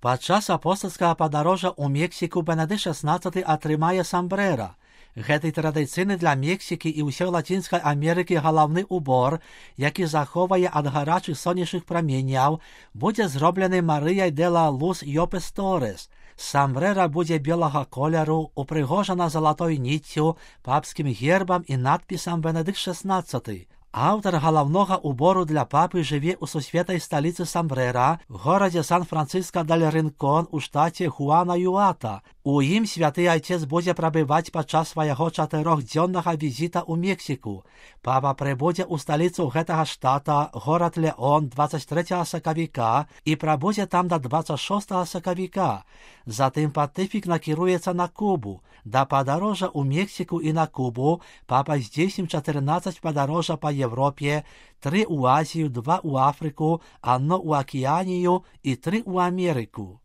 Падчас апостальскага падарожжа ў Мексіку Бенедыкт XVI атрымае самбрэра. Гэты традыцыйны для Мексікі і ўсёй Лацінскай Амерыкі галаўны убор, які захоўвае ад гарачых сонечных праменяў, будзе зроблены Марыяй де ла Лус Йопес Торес. Самбрэра будзе белага колеру, упрыгожана залатой ніццю, папскім гербам і надпісам Бенедыкт XVI. Аўтар галаўнога убору для папы жыве ў сусветнай сталіцы самбрэра, горадзе Сан-Франциско-дель-Ринкон у штаце Гуанаюата. У ім святы айцец будзе прабываць падчас свайго 4-дзённага візіта ў Мексіку. Папа прыбудзе ў сталіцу гэтага штата, горад Леон, 23 сакавіка і прабудзе там да 26 сакавіка. Затым пантыфік накіруецца на Кубу. Да падарожжа ў Мексіку і на Кубу папа здзейсніў 14 падарожжа па Европе, 3 у Азію, 2 у Афрыку, 1 у Акіянію і 3 у Амерыку.